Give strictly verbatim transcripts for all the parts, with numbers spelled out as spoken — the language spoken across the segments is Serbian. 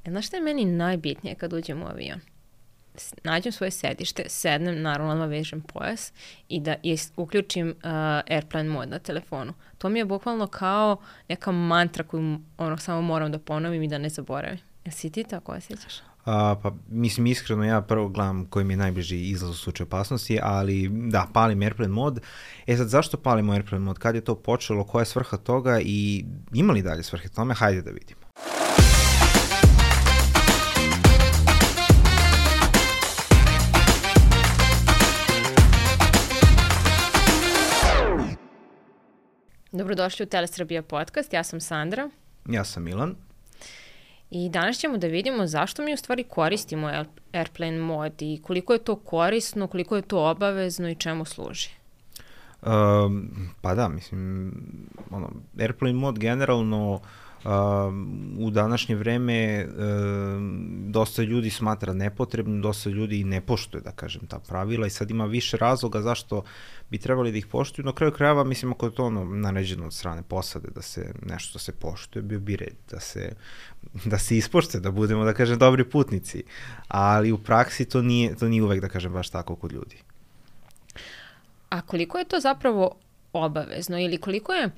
Znaš šta je meni najbitnije kad uđem u avion? Nađem svoje sedište, sednem, naravno odmah vežem pojas i da is, uključim uh, airplane mod na telefonu. To mi je bukvalno kao neka mantra koju ono, samo moram da ponovim i da ne zaboravim. Jesi ti tako osjećaš? A, pa mislim iskreno ja prvo gledam koji mi je najbliži izlaz u slučaju opasnosti, ali da, palim airplane mod. E sad, zašto palimo airplane mod? Kad je to počelo? Koja je svrha toga i ima li dalje svrhe tome? Hajde da vidimo. Dobrodošli u Telesrbija podcast, ja sam Sandra. Ja sam Milan. I danas ćemo da vidimo zašto mi u stvari koristimo airplane mod i koliko je to korisno, koliko je to obavezno i čemu služi. Um, pa da, mislim, ono, airplane mod generalno Um, u današnje vreme um, dosta ljudi smatra nepotrebno, dosta ljudi ne poštuje, da kažem, ta pravila i sad ima više razloga zašto bi trebali da ih poštuju. Na kraju krajeva, mislim, ako je to ono naređeno od strane posade da se nešto se poštuje, bio bi red da se, da se ispoštuje, da budemo, da kažem, dobri putnici. Ali u praksi to nije, to nije uvek, da kažem, baš tako kod ljudi. A koliko je to zapravo obavezno ili koliko je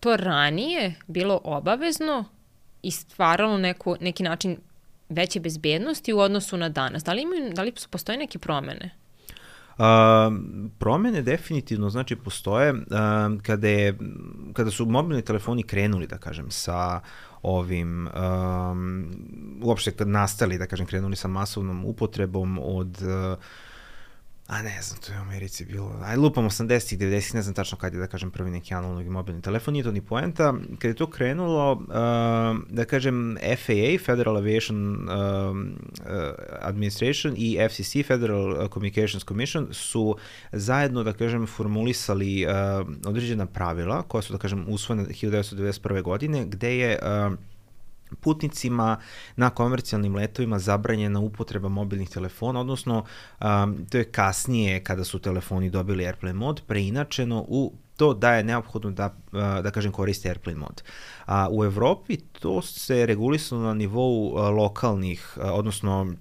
to ranije bilo obavezno i stvaralo neku, neki način veće bezbednosti u odnosu na danas? Da li, imaju, da li postoje neke promene? Uh, promene definitivno, znači, postoje. Uh, kada, je, kada su mobilni telefoni krenuli, da kažem, sa ovim, um, uopšte kad nastali, da kažem, krenuli sa masovnom upotrebom od uh, a ne znam, to je u Americi bilo, aj lupam osamdesetih, devedesetih, ne znam tačno kad je, da kažem, prvi neki analogni mobilni telefon, nije to ni poenta. Kad je to krenulo, uh, da kažem, F A A, Federal Aviation uh, uh, Administration i F C C, Federal Communications Commission, su zajedno, da kažem, formulisali uh, određena pravila koja su, da kažem, usvojene hiljadu devetsto devedeset prve. godine, gde je uh, putnicima na komercijalnim letovima zabranjena upotreba mobilnih telefona, odnosno um, to je kasnije kada su telefoni dobili airplane mod preinačeno u to da je neophodno da, da kažem, koriste airplane mod. A u Evropi to se regulisalo na nivou lokalnih, odnosno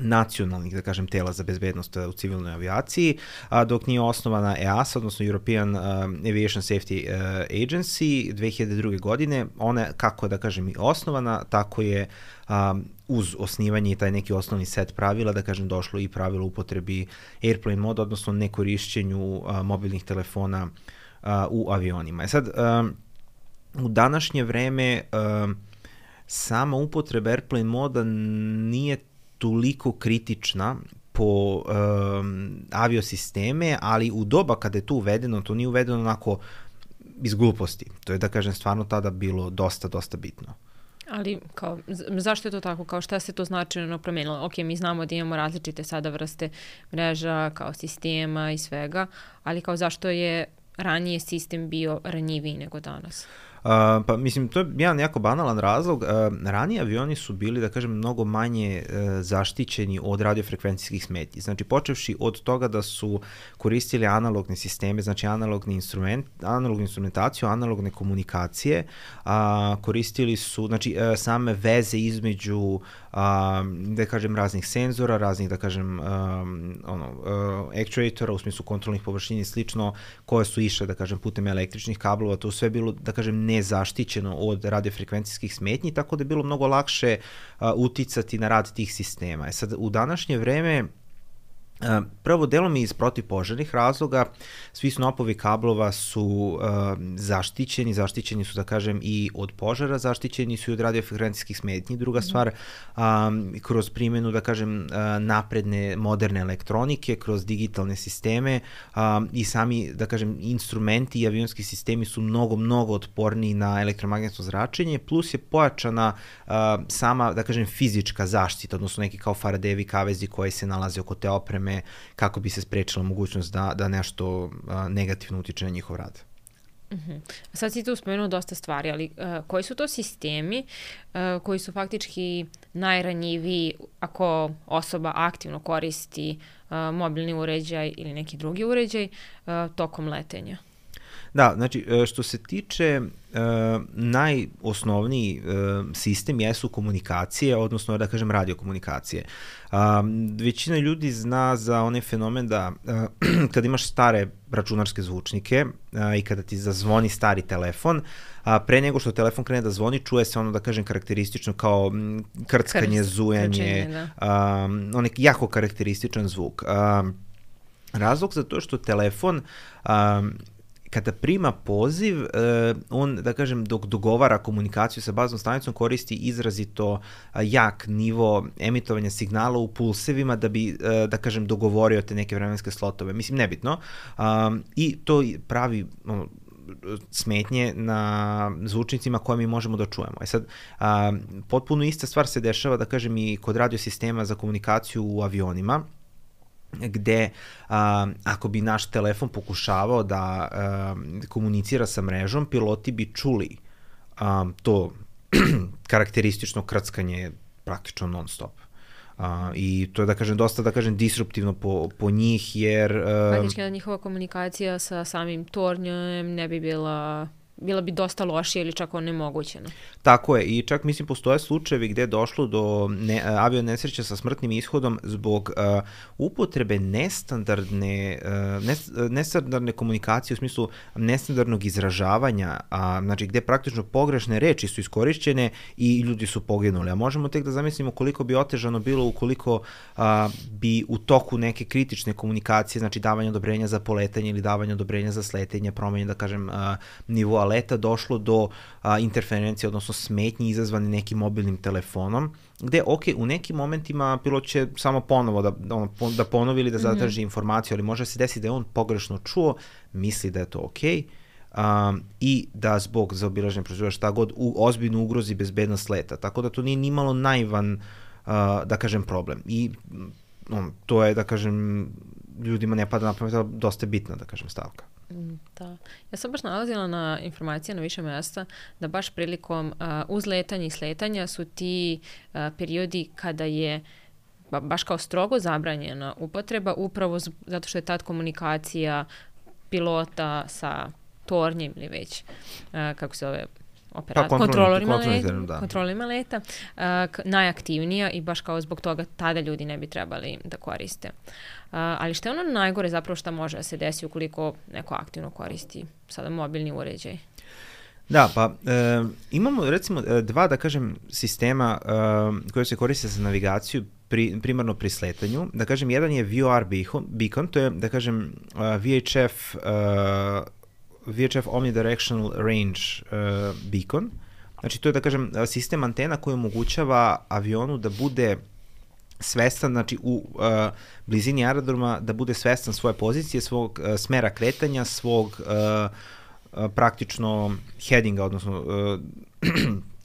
nacionalnih, da kažem, tela za bezbednost u civilnoj avijaciji, a dok nije osnovana E A S A, odnosno European uh, Aviation Safety uh, Agency dve hiljade druge. godine. Ona, kako je, da kažem, i osnovana, tako je um, uz osnivanje i taj neki osnovni set pravila, da kažem, došlo i pravilo upotrebi airplane mod, odnosno nekorišćenju uh, mobilnih telefona uh, u avionima. E sad, um, u današnje vreme um, sama upotreba airplane moda nije toliko kritična po um, aviosisteme, ali u doba kada je to uvedeno, to nije uvedeno onako iz gluposti. To je, da kažem, stvarno tada bilo dosta, dosta bitno. Ali kao, zašto je to tako? Kao šta se to značajno promenilo? Ok, mi znamo da imamo različite sada vrste mreža, kao sistema i svega, ali kao zašto je ranije sistem bio ranjiviji nego danas? Uh, pa mislim, to je jedan jako banalan razlog. Uh, ranije avioni su bili, da kažem, mnogo manje uh, zaštićeni od radiofrekvencijskih smetnji. Znači, počevši od toga da su koristili analogne sisteme, znači analogni instrument, analognu instrumentaciju, analogne komunikacije, uh, koristili su, znači, uh, same veze između, uh, da kažem, raznih senzora, raznih, da kažem, um, ono, uh, actuatora, u smislu kontrolnih površina i slično, koje su išle, da kažem, putem električnih kablova, to sve bilo, da kažem, nezaštićeno od radiofrekvencijskih smetnji, tako da je bilo mnogo lakše uh, uticati na rad tih sistema. E sad, u današnje vreme, Uh, prvo, delom iz protivpožarnih razloga, svi snopovi kablova su uh, zaštićeni, zaštićeni su, da kažem, i od požara, zaštićeni su i od radiofrekvencijskih smetnji. Druga stvar, um, kroz primjenu, da kažem, uh, napredne, moderne elektronike, kroz digitalne sisteme um, i sami, da kažem, instrumenti i avionski sistemi su mnogo, mnogo otporniji na elektromagnetno zračenje, plus je pojačana uh, sama, da kažem, fizička zaštita, odnosno neki kao Faradayevi kavezi koji se nalaze oko te opreme, kako bi se sprečila mogućnost da, da nešto a, negativno utiče na njihov rad. Uh-huh. Sad si tu spomenuo dosta stvari, ali uh, koji su to sistemi uh, koji su faktički najranjiviji ako osoba aktivno koristi uh, mobilni uređaj ili neki drugi uređaj uh, tokom letenja? Da, znači, što se tiče uh, najosnovniji uh, sistem jesu komunikacije, odnosno, da kažem, radiokomunikacije. Um, većina ljudi zna za onaj fenomen da uh, kada imaš stare računarske zvučnike uh, i kada ti zazvoni stari telefon, a pre nego što telefon krene da zvoni, čuje se ono, da kažem, karakteristično kao krckanje, Krst, zujanje, da. um, onaj jako karakterističan zvuk. Um, razlog za to što telefon um, kada prima poziv, uh, on, da kažem, dok dogovara komunikaciju sa baznom stanicom, koristi izrazito uh, jak nivo emitovanja signala u pulsevima da bi, uh, da kažem, dogovorio te neke vremenske slotove. Mislim, nebitno. Um, I to pravi um, smetnje na zvučnicima koje mi možemo da čujemo. E sad, a, potpuno ista stvar se dešava, da kažem, i kod radiosistema za komunikaciju u avionima, gde a, ako bi naš telefon pokušavao da a, komunicira sa mrežom, piloti bi čuli a, to karakteristično krckanje praktično non stop. Uh, i to je, da kažem, dosta, da kažem, disruptivno po, po njih, jer... Uh, Praktički da njihova komunikacija sa samim tornjem ne bi bila... bila bi dosta lošija ili čak onemogućena. Tako je, i čak, mislim, postoje slučajevi gde je došlo do ne, avio nesreća sa smrtnim ishodom zbog uh, upotrebe nestandardne, uh, nes, nestandardne komunikacije, u smislu nestandardnog izražavanja, a, znači gde praktično pogrešne reči su iskorišćene i ljudi su poginuli. A možemo tek da zamislimo koliko bi otežano bilo ukoliko a, bi u toku neke kritične komunikacije, znači davanje odobrenja za poletanje ili davanje odobrenja za sletenje, promenje, da kažem, a, nivoa leta, došlo do a, interferencije, odnosno smetnji izazvane nekim mobilnim telefonom, gde, ok, u nekim momentima pilot će samo ponovo da, da, da ponovi ili da zatraži mm-hmm. informaciju, ali može se desiti da je on pogrešno čuo, misli da je to ok, um, i da zbog zaobilaženja procedura šta god u, ozbiljno ugrozi bezbednost leta. Tako da to nije nimalo naivan, uh, da kažem, problem. I um, to je, da kažem, ljudima ne pada na pamet, ali dosta bitna, da kažem, stavka. Da. Ja sam baš nalazila na informacije na više mjesta da baš prilikom uh, uzletanja i sletanja su ti uh, periodi kada je ba, baš kao strogo zabranjena upotreba, upravo z, zato što je tad komunikacija pilota sa tornjem ili već, uh, kako se zove, operat, pa, kontrolorima, kontrolorima, leta, kontrolorima leta uh, k, najaktivnija i baš kao zbog toga tada ljudi ne bi trebali da koriste. Uh, ali što je ono najgore zapravo što može da se desi ukoliko neko aktivno koristi sada mobilni uređaj? Da, pa e, imamo recimo dva, da kažem, sistema e, koje se koriste za navigaciju pri, primarno pri sletanju. Da kažem, jedan je V O R beacon, to je, da kažem, V H F uh, V H F Omnidirectional Range uh, beacon. Znači, to je, da kažem, sistem antena koji omogućava avionu da bude svestan, znači u uh, blizini aerodroma da bude svestan svoje pozicije, svog uh, smera kretanja, svog uh, uh, praktično headinga, odnosno uh,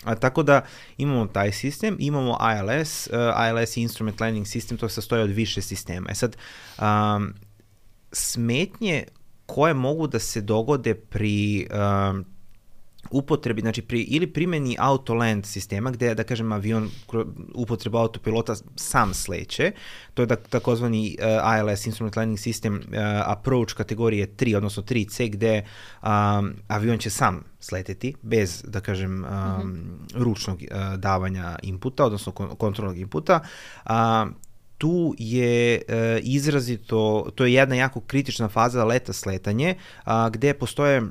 a, tako da imamo taj sistem, imamo I L S, uh, I L S Instrument Landing System, to se sastoji od više sistema. E sad, um, smetnje koje mogu da se dogode pri um, upotrebi, znači pri, ili primjeni auto-land sistema, gde, da kažem, avion upotreba autopilota sam sleće, to je da, takozvani uh, I L S, Instrument Landing System, uh, approach kategorije tri, odnosno tri C, gde um, avion će sam sleteti, bez, da kažem, um, mm-hmm. ručnog uh, davanja inputa, odnosno kon- kontrolnog inputa. Uh, tu je uh, izrazito, to je jedna jako kritična faza leta sletanje, uh, gde postoje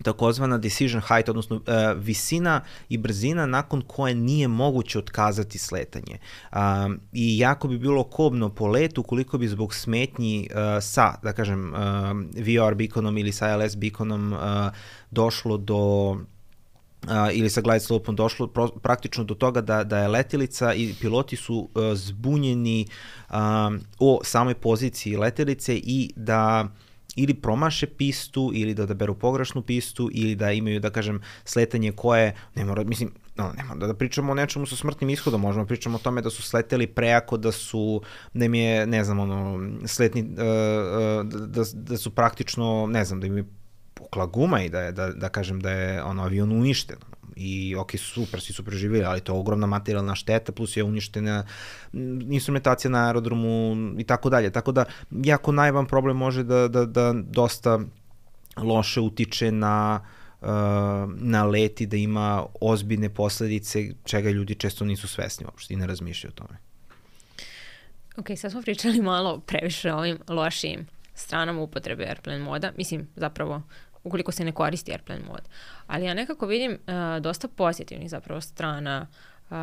takozvana decision height, odnosno uh, visina i brzina nakon koje nije moguće otkazati sletanje. Um, I jako bi bilo kobno po letu ukoliko bi zbog smetnji uh, sa, da kažem, uh, V O R beaconom ili sa I L S beaconom uh, došlo do Uh, ili sa glide slope-om došlo pro, praktično do toga da, da je letelica i piloti su uh, zbunjeni um, o samoj poziciji letelice i da ili promaše pistu, ili da odaberu pogrešnu pistu, ili da imaju, da kažem, sletanje koje, ne mora, mislim, no, ne mora da, da pričamo o nečemu sa smrtnim ishodom, možemo da pričamo o tome da su sleteli prejako, da su, da im je, ne znam, ono, sletni, uh, uh, da, da su praktično, ne znam, da im je pukla guma i da je, da, da kažem da je ono, avion uništen. I ok, super, svi su preživjeli, ali to je ogromna materijalna šteta, plus je uništena instrumentacija na aerodromu i tako dalje. Tako da, jako najvan problem može da, da, da dosta loše utiče na na leti, da ima ozbiljne posledice čega ljudi često nisu svesni uopšte i ne razmišljaju o tome. Ok, sad smo pričali malo previše o ovim lošim stranama upotrebe Airplane moda. Mislim, zapravo, ukoliko se ne koristi Airplane mod. Ali ja nekako vidim uh, dosta pozitivnih zapravo strana uh,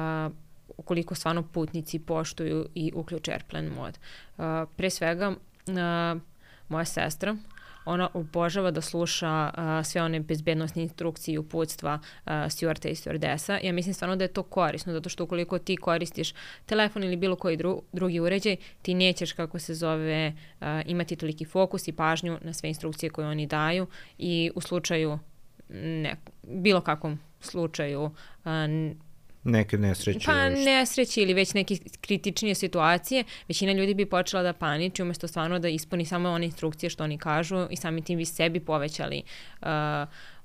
ukoliko stvarno putnici poštuju i uključe Airplane mod. Uh, pre svega, uh, moja sestra, ona obožava da sluša uh, sve one bezbednostne instrukcije i uputstva uh, stewardesa i stewardesa. Ja mislim stvarno da je to korisno, zato što ukoliko ti koristiš telefon ili bilo koji dru, drugi uređaj, ti nećeš, kako se zove, uh, imati toliki fokus i pažnju na sve instrukcije koje oni daju i u slučaju, ne, bilo kakvom slučaju, uh, neke nesreće. Pa nesreće ili već neke kritičnije situacije, većina ljudi bi počela da paniči umjesto stvarno da ispuni samo one instrukcije što oni kažu i samim tim bi sebi povećali uh,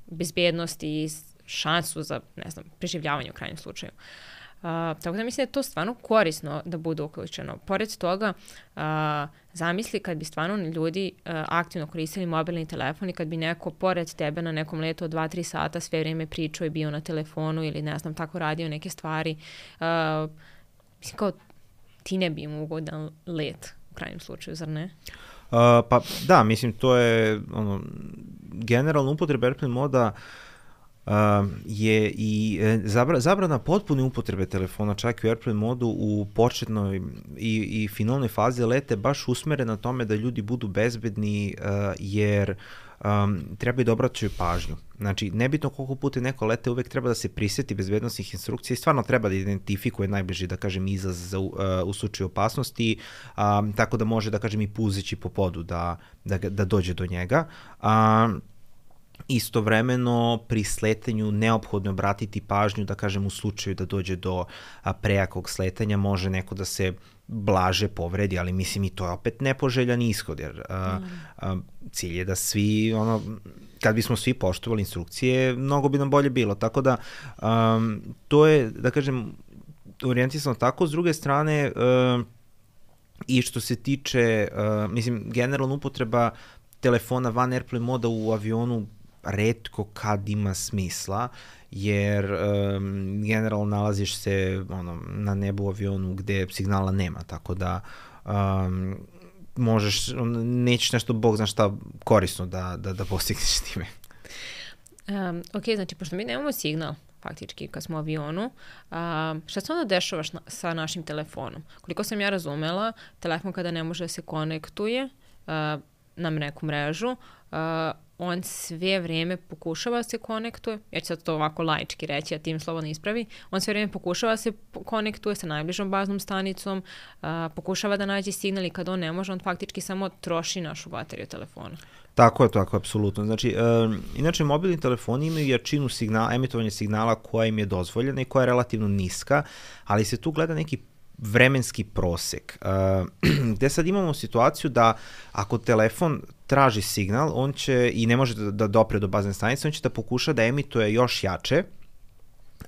bezbednost i šansu za, ne znam, preživljavanje u krajnjem slučaju. Uh, tako da mislim da je to stvarno korisno da bude uključeno. Pored toga, uh, zamisli kad bi stvarno ljudi uh, aktivno koristili mobilni telefon i kad bi neko pored tebe na nekom letu od dva do tri sata sve vrijeme pričao i bio na telefonu ili ne znam, tako radio neke stvari. Uh, mislim kao ti ne bi imao ugodan let u krajnjem slučaju, zar ne? Uh, pa da, mislim to je ono, generalno upotreba Airplane moda Uh, je i zabra, zabrana potpune upotrebe telefona čak i u Airplane modu u početnoj i, i finalnoj fazi lete baš usmerena na tome da ljudi budu bezbedni uh, jer um, treba i da obraćaju pažnju. Znači, nebitno koliko puta neko lete, uvek treba da se prisjeti bezbednostnih instrukcija i stvarno treba da identifikuje najbliži, da kažem, izlaz za, uh, u slučaju opasnosti, um, tako da može, da kažem, i puzeći po podu da, da, da dođe do njega. Um, Istovremeno pri sletanju neophodno obratiti pažnju, da kažem, u slučaju da dođe do a, prejakog sletanja, može neko da se blaže povredi, ali mislim i to je opet nepoželjan ishod, jer a, a, cilj je da svi, ono, kad bismo svi poštovali instrukcije, mnogo bi nam bolje bilo, tako da a, to je, da kažem, orijentisano tako. S druge strane, a, i što se tiče, a, mislim, generalna upotreba telefona van Airplane moda u avionu retko kad ima smisla, jer um, generalno nalaziš se ono, na nebu u avionu gde signala nema, tako da um, možeš, nećeš nešto, Bog zna šta, korisno da, da, da postigneš time. Um, ok, znači, pošto mi nemamo signal, faktički, kad smo u avionu, um, šta se onda dešava šna, sa našim telefonom? Koliko sam ja razumela, telefon kada ne može da se konektuje uh, na neku mrežu, uh, on sve vrijeme pokušava se konektuje, ja ću sad to ovako laički reći, a tim slobodno ispravi, on sve vrijeme pokušava se konektuje sa najbližom baznom stanicom, uh, pokušava da nađe signal i kad on ne može, on faktički samo troši našu bateriju telefona. Tako je, tako, apsolutno. Znači, uh, inače, mobilni telefoni imaju jačinu signala, emitovanja signala koja im je dozvoljena i koja je relativno niska, ali se tu gleda neki vremenski prosek, uh, gde sad imamo situaciju da ako telefon traži signal, on će, i ne može da, da dopre do bazne stanice, on će da pokuša da emituje još jače,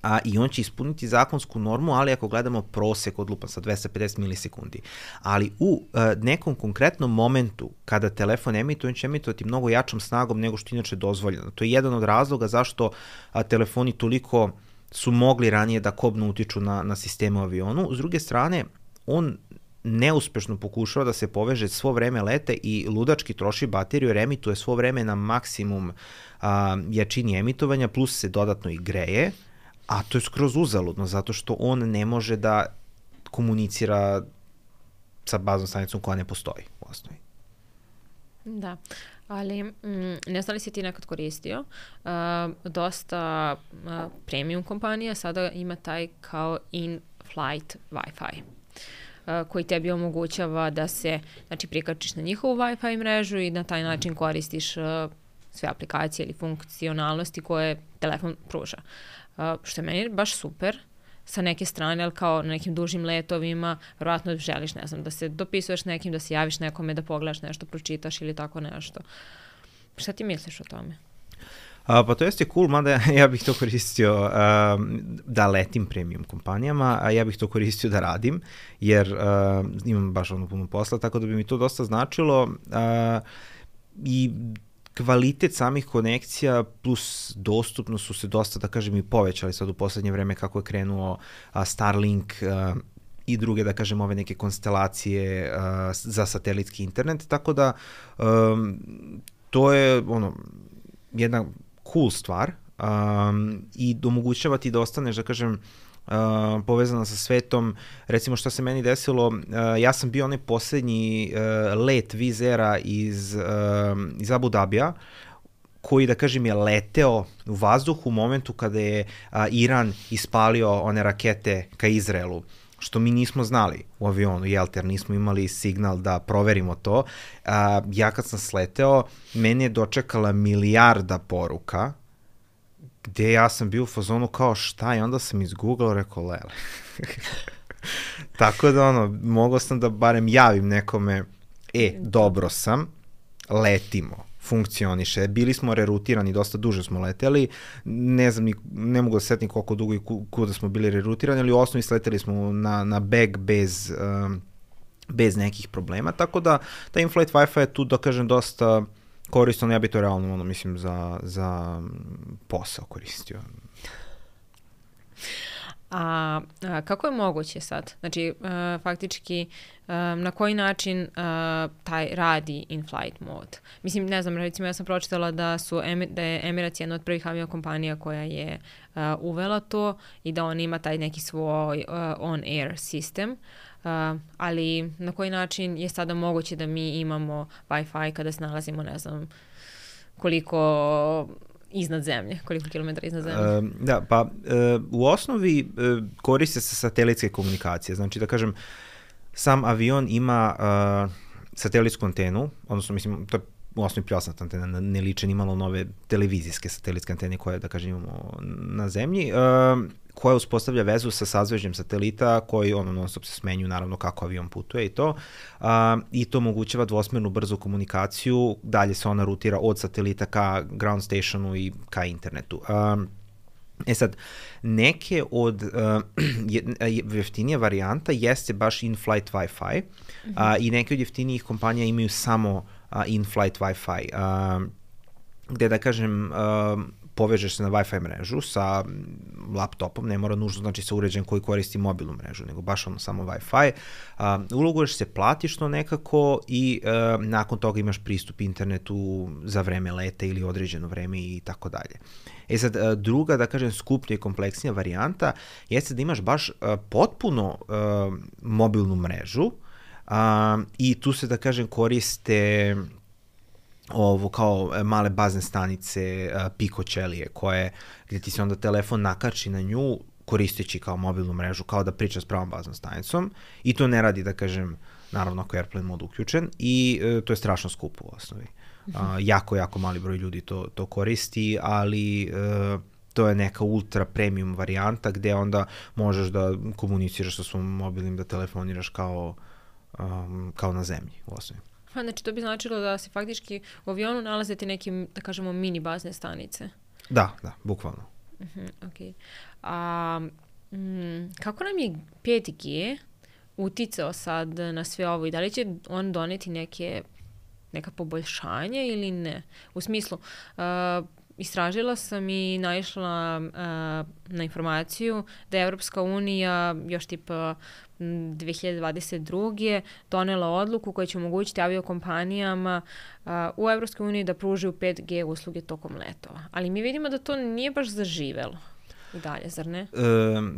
a i on će ispuniti zakonsku normu, ali ako gledamo prosek od lupa sa dvesta pedeset milisekundi. Ali u uh, nekom konkretnom momentu kada telefon emituje, on će emitovati mnogo jačom snagom nego što inače dozvoljeno. To je jedan od razloga zašto a, telefoni toliko su mogli ranije da kobno utiču na, na sistemu avionu. S druge strane, on neuspešno pokušava da se poveže svo vreme lete i ludački troši bateriju jer emituje svo vreme na maksimum a, jačini emitovanja, plus se dodatno i greje, a to je skroz uzaludno, zato što on ne može da komunicira sa baznom stanicom koja ne postoji u osnovi. Da, ali mm, ne znam li si ti nekad koristio, uh, dosta uh, premium kompanija sada ima taj kao in-flight Wi-Fi. Uh, koji tebi omogućava da se, znači, prikačiš na njihovu Wi-Fi mrežu i na taj način koristiš uh, sve aplikacije ili funkcionalnosti koje telefon pruža. Uh, što je meni baš super sa neke strane, ali kao na nekim dužim letovima, vjerojatno želiš, ne znam, da se dopisuješ nekim, da se javiš nekome, da pogledaš nešto, pročitaš ili tako nešto. Šta ti misliš o tome? A, pa to jeste cool, mada ja bih to koristio a, da letim premium kompanijama, a ja bih to koristio da radim, jer a, imam baš ono puno posla, tako da bi mi to dosta značilo. A, I kvalitet samih konekcija plus dostupnost su se dosta, da kažem, i povećali sad u poslednje vreme kako je krenuo a, Starlink a, i druge, da kažem, ove neke konstelacije a, za satelitski internet, tako da um, to je ono, jedna cool stvar um, i omogućava ti da ostaneš, da kažem, Uh, povezana sa svetom. Recimo što se meni desilo, uh, ja sam bio onaj poslednji uh, let Vizera iz, uh, iz Abu Dabija, koji, da kažem, je leteo u vazduhu u momentu kada je uh, Iran ispalio one rakete ka Izraelu, što mi nismo znali u avionu, jel, jer nismo imali signal da proverimo to. Uh, ja kad sam sleteo, mene je dočekala milijarda poruka, gde ja sam bio u fazonu kao šta, i onda sam izgooglao, rekao lele. Tako da ono, mogao sam da barem javim nekome, e, dobro sam, letimo, funkcioniše, bili smo rerutirani, dosta duže smo leteli, ne znam, ne mogu da setim koliko dugo i kuda smo bili rerutirani, ali u osnovi sleteli smo na, na beg bez, um, bez nekih problema, tako da ta in-flight Wi-Fi je tu, da kažem, dosta korisno, ja bi to realno, ono, mislim, za, za posao koristio. A, a kako je moguće sad? Znači, uh, faktički, uh, na koji način uh, taj radi in-flight mode? Mislim, ne znam, recimo ja sam pročitala da, su, da je Emirates jedna od prvih aviokompanija koja je uh, uvela to i da on ima taj neki svoj uh, on-air sistem. Uh, ali na koji način je sada moguće da mi imamo Wi-Fi kada se nalazimo, ne znam, koliko iznad zemlje, koliko kilometara iznad zemlje? Uh, da, pa uh, u osnovi uh, koriste se satelitske komunikacije. Znači, da kažem, sam avion ima uh, satelitsku antenu, odnosno, mislim, to je u osnovi prijasnata antena, ne liče ni malo nove televizijske satelitske antene koje, da kažem, imamo na zemlji, uh, koja uspostavlja vezu sa sazvežđem satelita koji ono non stop se smenju, naravno kako avion putuje i to, uh, i to omogućava dvosmernu brzu komunikaciju, dalje se ona rutira od satelita ka ground stationu i ka internetu. Uh, E sad, neke od uh, jeftinije varijanta jeste baš in-flight Wi-Fi, mm-hmm. uh, i neke od jeftinijih kompanija imaju samo uh, in-flight Wi-Fi, uh, gde, da kažem, uh, povežeš se na Wi-Fi mrežu sa laptopom, ne mora nužno znači sa uređajem koji koristi mobilnu mrežu, nego baš ono samo Wi-Fi. Uh, uloguješ se, platiš to nekako i uh, nakon toga imaš pristup internetu za vreme leta ili određeno vreme i tako dalje. E sad, uh, druga, da kažem, skuplja i kompleksnija varijanta jeste da imaš baš uh, potpuno uh, mobilnu mrežu uh, i tu se, da kažem, koriste ovo kao male bazne stanice, uh, Pico ćelije, koje, gde ti se onda telefon nakači na nju koristeći kao mobilnu mrežu, kao da priča s pravom baznom stanicom, i to ne radi, da kažem, naravno ako je Airplane mod uključen, i uh, to je strašno skupo u osnovi. Uh, jako, jako mali broj ljudi to, to koristi, ali uh, to je neka ultra premium varijanta gde onda možeš da komuniciraš sa svom mobilnim, da telefoniraš kao, um, kao na zemlji u osnovi. Pa, znači, to bi značilo da se faktički u avionu nalaze ti neke, da kažemo, mini bazne stanice. Da, da, bukvalno. Uh-huh, ok. A, mm, kako nam je pet G uticao sad na sve ovo i da li će on doneti neke, neka poboljšanja ili ne? U smislu, uh, istražila sam i naišla uh, na informaciju da je Evropska unija još tipa dve hiljade dvadeset druge donela odluku koja će omogućiti aviokompanijama uh, u Evropskoj uniji da pružaju pet G usluge tokom letova. Ali mi vidimo da to nije baš zaživelo i dalje, zar ne? E,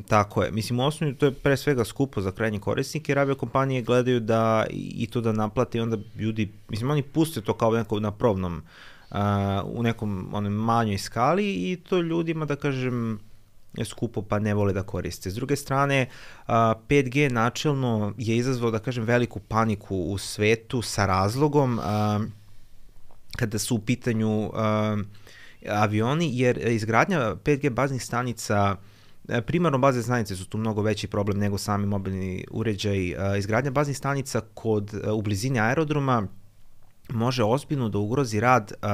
tako je. Mislim, u osnovi to je pre svega skupo za krajnje korisnike, jer aviokompanije gledaju da i to da naplate i onda ljudi, mislim, oni puste to kao neko na probnom, uh, u nekom onom manjoj skali i to ljudima, da kažem, je skupo pa ne vole da koriste. S druge strane, uh, pet G načelno je izazvao, da kažem, veliku paniku u svetu sa razlogom uh, kada su u pitanju uh, avioni, jer izgradnja pet G baznih stanica, primarno bazne stanice su tu mnogo veći problem nego sami mobilni uređaj. Izgradnja baznih stanica kod, u blizini aerodroma može ozbiljno da ugrozi rad, uh,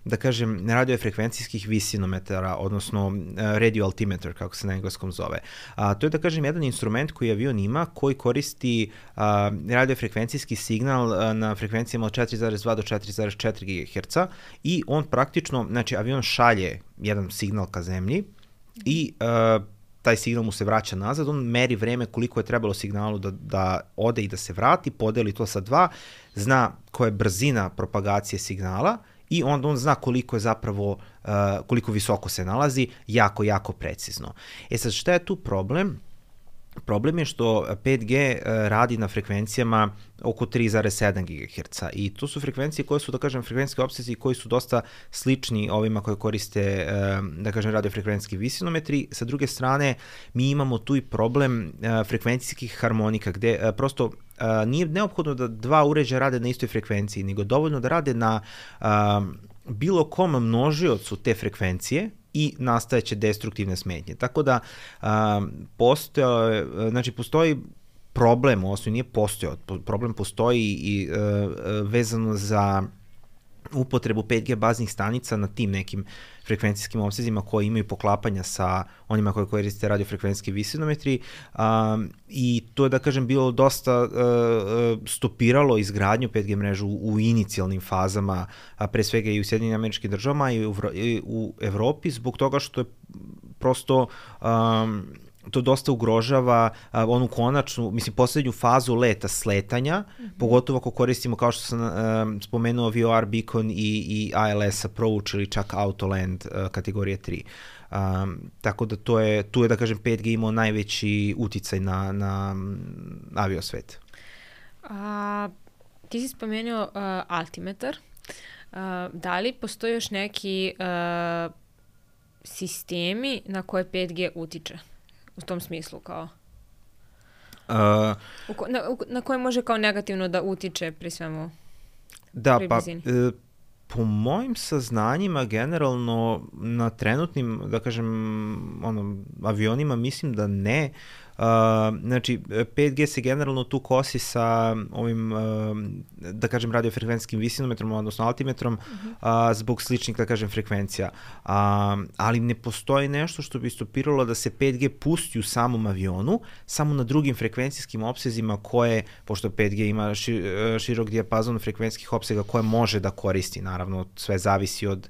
da kažem, radiofrekvencijskih visinometara, odnosno uh, radio altimeter, kako se na engleskom zove. A, to je, da kažem, jedan instrument koji avion ima, koji koristi uh, radiofrekvencijski signal uh, na frekvencijama od četiri zarez dva do četiri zarez četiri gigaherca i on praktično, znači avion šalje jedan signal ka zemlji i uh, taj signal mu se vraća nazad, on meri vreme koliko je trebalo signalu da, da ode i da se vrati, podeli to sa dva, zna koja je brzina propagacije signala i onda on zna koliko je zapravo, uh, koliko visoko se nalazi, jako, jako precizno. E sad, šta je tu problem? Problem je što pet G radi na frekvencijama oko tri zarez sedam gigaherca i to su frekvencije koje su, da kažem, frekvencijski opsezi koji su dosta slični ovima koje koriste, da kažem, radiofrekvencijski visinometri. Sa druge strane, mi imamo tu i problem frekvencijskih harmonika, gde prosto nije neophodno da dva uređaja rade na istoj frekvenciji, nego dovoljno da rade na bilo kom množiocu te frekvencije i nastajeće destruktivne smetnje. Tako da um, postoje, znači postoji problem, odnosno nije postojao, problem postoji i uh, vezano za upotrebu pet G baznih stanica na tim nekim frekvencijskim opsezima koji imaju poklapanja sa onima koje koriste radiofrekvencijski visinometri um, i to je, da kažem, bilo dosta uh, stopiralo izgradnju pet G mrežu u, u inicijalnim fazama, a pre svega i u Sjedinjenim Američkim Državama i u, i u Evropi, zbog toga što je prosto um, to dosta ugrožava uh, onu konačnu, mislim, poslednju fazu leta, sletanja, mm-hmm. pogotovo ako koristimo, kao što sam uh, spomenuo, V O R Beacon i, i I L S approach ili čak Autoland uh, kategorije tri. Um, tako da to je, tu je, da kažem, pet G imao najveći uticaj na, na aviosvet. A, ti si spomenuo uh, altimetar. Uh, da li postoji još neki uh, sistemi na koje pet G utiče? U tom smislu, kao? Uh, u ko, na, u, na koje može kao negativno da utiče pri svemu? Da, pri pa e, po mojim saznanjima generalno na trenutnim, da kažem, ono, avionima mislim da ne. Uh, znači, pet G se generalno tu kosi sa ovim, uh, da kažem, radiofrekvencijskim visinometrom, odnosno altimetrom, uh-huh. uh, zbog sličnih, da kažem, frekvencija. Uh, ali ne postoji nešto što bi stopiralo da se pet G pusti u samom avionu, samo na drugim frekvencijskim opsezima koje, pošto pet G ima ši, širok dijapazon frekvencijskih opsega koje može da koristi, naravno, sve zavisi od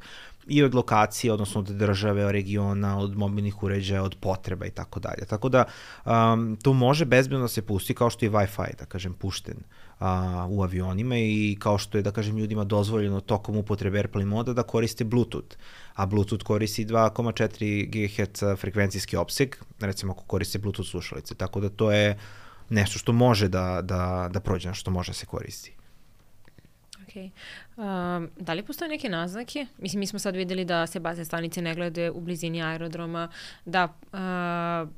i od lokacije, odnosno od države, od regiona, od mobilnih uređaja, od potreba i tako dalje. Tako da um, to može bezbedno da se pusti, kao što je Wi-Fi, da kažem, pušten uh, u avionima i kao što je, da kažem, ljudima dozvoljeno tokom upotrebe Airplane moda da koriste Bluetooth. A Bluetooth koristi dva zarez četiri gigaherca frekvencijski opseg, recimo ako koriste Bluetooth slušalice. Tako da to je nešto što može da, da, da prođe, što može da se koristi. Okay. Um, da li postoje neke naznake? Mislim, mi smo sad videli da se bazne stanice ne glede u blizini aerodroma, da uh,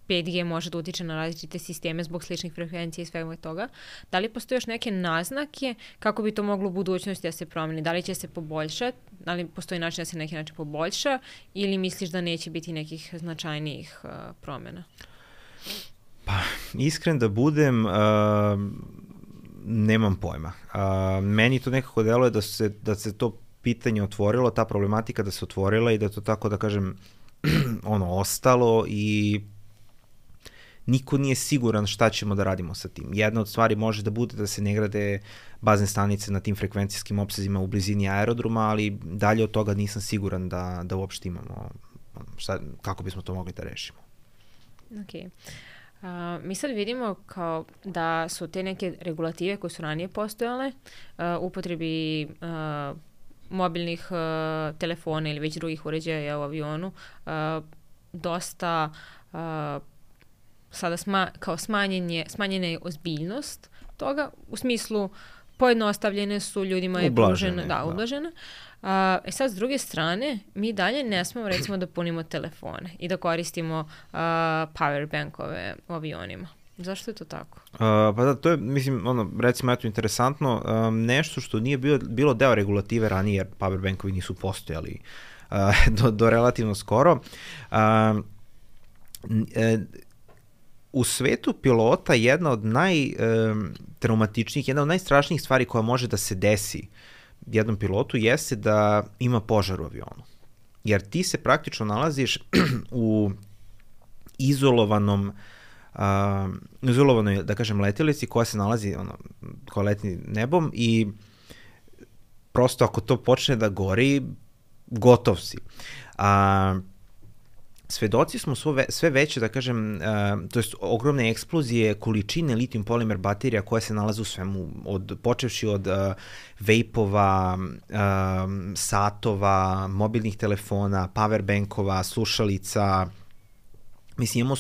pet G može da utiče na različite sisteme zbog sličnih frekvencija i svega toga. Da li postoje još neke naznake kako bi to moglo u budućnosti da se promeni? Da li će se poboljšati? Da li postoji način da se neki način poboljša? Ili misliš da neće biti nekih značajnijih uh, promjena? Pa, iskren da budem... Uh... Nemam pojma. Uh, meni to nekako deluje da se, da se to pitanje otvorilo, ta problematika da se otvorila i da to tako, da kažem, ono, ostalo i niko nije siguran šta ćemo da radimo sa tim. Jedna od stvari može da bude da se ne grade bazne stanice na tim frekvencijskim opsezima u blizini aerodroma, ali dalje od toga nisam siguran da, da uopšte imamo šta, kako bismo to mogli da rešimo. Okej. Uh, mi sad vidimo kao da su te neke regulative koje su ranije postojale uh, upotrebi uh, mobilnih uh, telefona ili već drugih uređaja u avionu uh, dosta uh, sada sma, kao smanjenje, smanjena je ozbiljnost toga, u smislu pojednostavljene su, ljudima je pružene, da, ublažene. Uh, e sad, s druge strane, mi dalje ne smemo, recimo, da punimo telefone i da koristimo uh, power bankove u avionima. Zašto je to tako? Uh, pa da, to je, mislim, ono, recimo, eto, interesantno, um, nešto što nije bilo, bilo deo regulative ranije, jer power bankovi nisu postojali uh, do, do relativno skoro. Uh, e, u svetu pilota jedna od najtraumatičnijih, jedna od najstrašnijih stvari koja može da se desi jednom pilotu jeste da ima požar u avionu. Jer ti se praktično nalaziš u izolovanom uh, izolovanoj, da kažem, letelici koja se nalazi, ono, koja leti nebom i prosto ako to počne da gori, gotov si. A, svedoci smo sve, sve veće, da kažem, uh, to jest ogromne eksplozije količine litijum polimer baterija koje se nalaze u svemu, od, počevši od uh, vejpova, uh, satova, mobilnih telefona, powerbankova, slušalica. Mislim, imamo uh,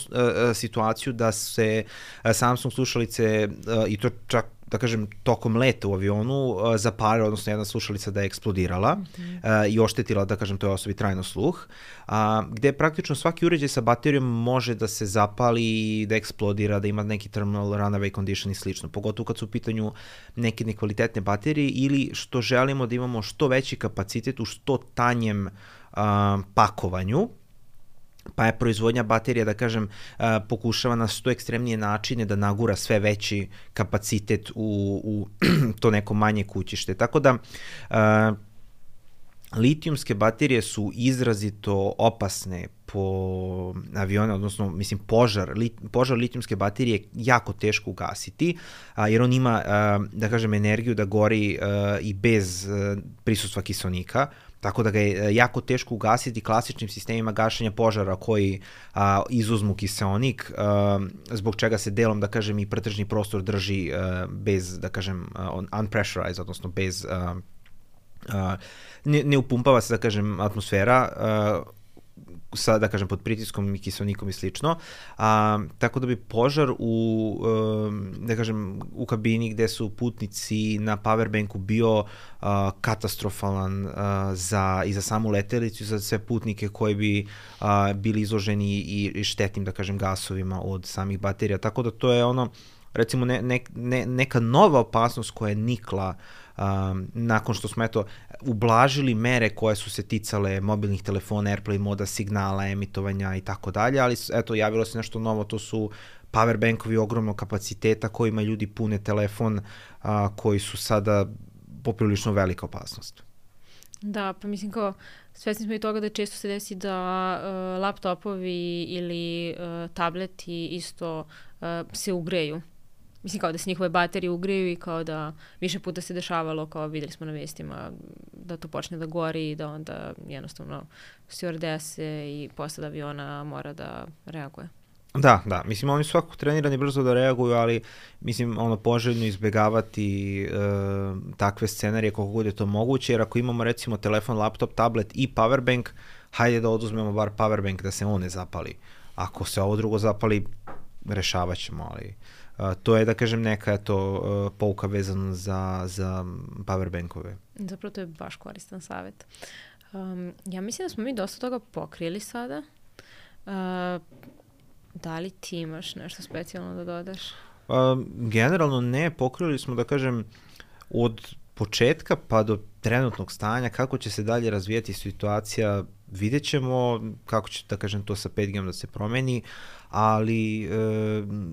situaciju da se uh, Samsung slušalice, uh, i to čak, da kažem, tokom leta u avionu uh, zapale, odnosno jedna slušalica da je eksplodirala mm-hmm. uh, i oštetila, da kažem, toj osobi trajno sluh, uh, gde praktično svaki uređaj sa baterijom može da se zapali, da eksplodira, da ima neki terminal runaway condition i slično, pogotovo kad su u pitanju neke nekvalitetne baterije ili što želimo da imamo što veći kapacitet u što tanjem uh, pakovanju, pa je proizvodnja baterija, da kažem, uh, pokušava na što ekstremnije načine da nagura sve veći kapacitet u, u to neko manje kućište. Tako da uh, litijumske baterije su izrazito opasne po avione, odnosno, mislim, požar, lit, požar litijumske baterije je jako teško ugasiti, a, jer on ima, a, da kažem, energiju da gori a, i bez a, prisustva kiselnika, tako da ga je jako teško ugasiti klasičnim sistemima gašenja požara koji a, izuzmu kiseonik, a, zbog čega se delom, da kažem, i pretražni prostor drži a, bez, da kažem, unpressurized, odnosno bez... A, a, ne, ne upumpava se, da kažem, atmosfera, a, sa, da kažem, pod pritiskom i kiselnikom i slično, a, tako da bi požar u, um, da kažem, u kabini gde su putnici na powerbanku bio uh, katastrofalan uh, za, i za samu letelicu i za sve putnike koji bi uh, bili izloženi i, i štetnim, da kažem, gasovima od samih baterija, tako da to je ono, recimo, ne, ne, ne, neka nova opasnost koja je nikla Um, nakon što smo, eto, ublažili mere koje su se ticale mobilnih telefona, AirPlay moda, signala, emitovanja i tako dalje, ali eto, javilo se nešto novo, to su powerbankovi ogromnog kapaciteta kojima ljudi pune telefon, uh, koji su sada poprilično velika opasnost. Da, pa mislim kao, svesni smo i toga da često se desi da uh, laptopovi ili uh, tableti isto uh, se ugreju. Mislim, kao da se njihove baterije ugreju i kao da više puta se dešavalo, kao videli smo na vestima, da to počne da gori i da onda jednostavno stewardese i posada aviona mora da reaguje. Da, da. Mislim, oni su svakako trenirani brzo da reaguju, ali mislim, ono, poželjno izbegavati e, takve scenarije koliko god je to moguće, jer ako imamo, recimo, telefon, laptop, tablet i powerbank, hajde da oduzmemo bar powerbank da se on ne zapali. Ako se ovo drugo zapali, rešavat ćemo, ali... Uh, to je, da kažem, neka to uh, pouka vezana za, za powerbankove. Zapravo to je baš koristan savjet. Um, ja mislim da smo mi dosta toga pokrili sada. Uh, da li ti imaš nešto specijalno da dodaš? Uh, generalno ne, pokrili smo, da kažem, od početka pa do trenutnog stanja, kako će se dalje razvijati situacija, vidjet ćemo kako će, da kažem, to sa pet G-om da se promeni, ali e,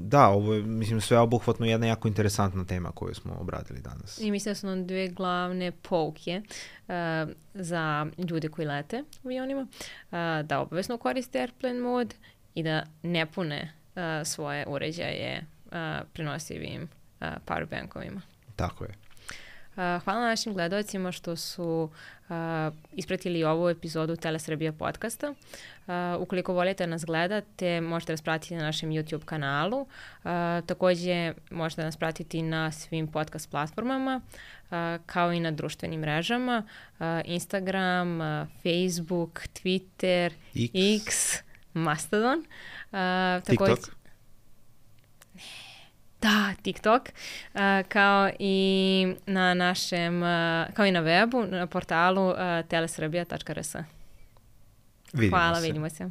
da, ovo je, mislim, sve obuhvatno jedna jako interesantna tema koju smo obradili danas. I mislim da su nam dve glavne pouke uh, za ljude koji lete u avionima, uh, da obavezno koriste Airplane mod i da ne pune uh, svoje uređaje uh, prenosivim uh, powerbankovima. Tako je. Uh, hvala našim gledalcima što su uh, ispratili ovu epizodu Telesrbija podcasta. Uh, ukoliko volite nas gledate, možete nas pratiti na našem YouTube kanalu. Uh, takođe, možete nas pratiti na svim podcast platformama, uh, kao i na društvenim mrežama. Uh, Instagram, uh, Facebook, Twitter, X, X Mastodon. Uh, takođe, TikTok. Da, TikTok, uh, kao i na našem, uh, kao i na webu, na portalu uh, telesrbija tačka r s. Vidimo Hvala, se. vidimo se.